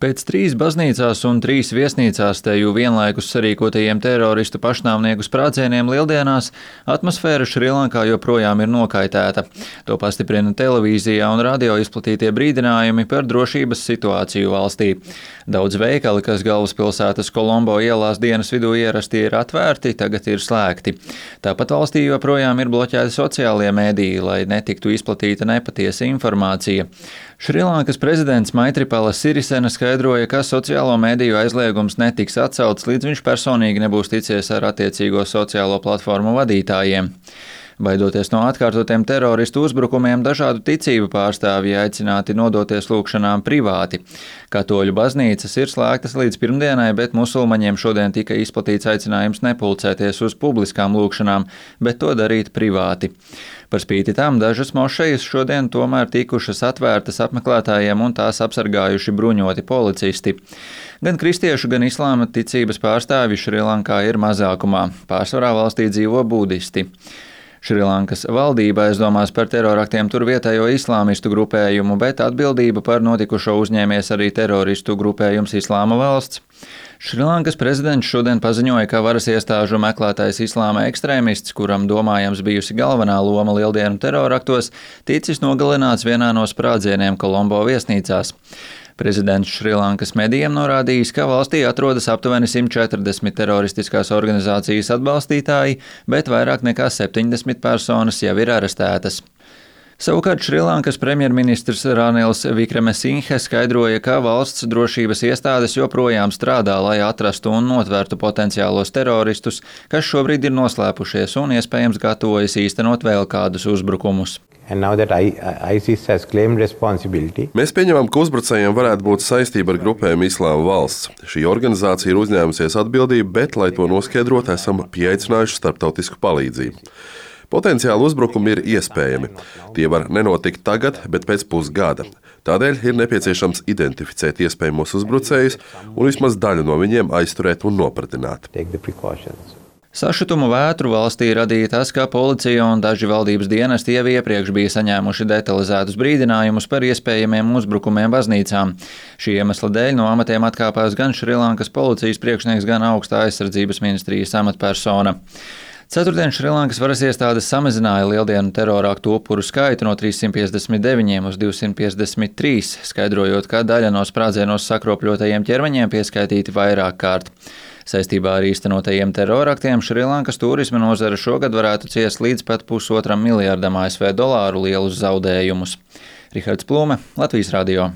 Pēc 3 baznīcās un 3 viesnīcās teju vienlaikus sarīkotajiem teroristu pašnāvnieku sprādzieniem Lieldienās atmosfēra Šrilankā joprojām ir nokaitēta. To pastiprina televīzijā un radio izplatītie brīdinājumi par drošības situāciju valstī. Daudz veikali, kas galvaspilsētas Kolombo ielās dienas vidū ierasti ir atvērti, tagad ir slēgti. Tāpat valstī joprojām ir bloķēti sociālie mediji, lai netiktu izplatīta nepatiesa informācija. Šrilankas prezidents Maitripala Sirisena skaidroja, ka sociālo mediju aizliegums netiks atcelts, līdz viņš personīgi nebūs ticies ar attiecīgo sociālo platformu vadītājiem. Baidoties no atkārtotiem teroristu uzbrukumiem, dažādu ticību pārstāvji aicināti nodoties lūgšanām privāti. Katoļu baznīcas ir slēgtas līdz pirmdienai, bet musulmaņiem šodien tika izplatīts aicinājums nepulcēties uz publiskām lūgšanām, bet to darīt privāti. Par spīti tam dažas mošejas šodien tomēr tikušas atvērtas apmeklētājiem un tās apsargājuši bruņoti policisti. Gan kristiešu, gan islāma ticības pārstāvji Šrilankā ir mazākumā. Pārsvarā valstī dzīvo budisti. Šrilankas valdība aizdomās par teroraktiem tur vietējo islāmistu grupējumu, bet atbildību par notikušo uzņēmies arī teroristu grupējums Islāma valsts. Šrilankas prezidents šodien paziņoja, ka varas iestāžu meklētais islāma ekstrēmists, kuram domājams bijusi galvenā loma lieldienu teroraktos, ticis nogalināts vienā no sprādzieniem Kolombo viesnīcās. Prezidents Šrilankas medijiem norādījis, ka valstī atrodas aptuveni 140 teroristiskās organizācijas atbalstītāji, bet vairāk nekā 70 personas jau ir arestētas. Savukārt Šrilankas premjerministrs Ranils Vikremesinghe skaidroja, ka valsts drošības iestādes joprojām strādā, lai atrastu un notvērtu potenciālos teroristus, kas šobrīd ir noslēpušies un iespējams gatavojas īstenot vēl kādus uzbrukumus. Mēs pieņemam, ka uzbrucējiem varētu būt saistība ar grupējumu Islāma valsts. Šī organizācija ir uzņēmusies atbildību, bet, lai to noskaidrotu, esam pieaicinājuši starptautisku palīdzību. Potenciāli uzbrukumi ir iespējami. Tie var nenotikt tagad, bet pēc pusgada. Tādēļ ir nepieciešams identificēt iespējamos uzbrucējus un vismaz daļu no viņiem aizturēt un nopratināt. Sašutumu vētru valstī radīja tas, ka policija un daži valdības dienesti jau iepriekš bija saņēmuši detalizētus brīdinājumus par iespējamiem uzbrukumiem baznīcām. Šī iemesla dēļ no amatiem atkāpās gan Šrilankas policijas priekšnieks, gan augstā aizsardzības ministrijas amatpersona. Ceturtdien Šrilankas varas iestādes samazināja lieldienu teroraktu upuru skaitu no 359 uz 253, skaidrojot, ka daļa no sprādzienos sakropļotajiem ķermeņiem pieskaitīti vairāk kārt. Saistībā ar īstenotajiem teroraktiem Šrilankas turisma nozare šogad varētu ciest līdz pat $1,5 miljardam ASV dolāru lielus zaudējumus. Rihards Plūme, Latvijas radio.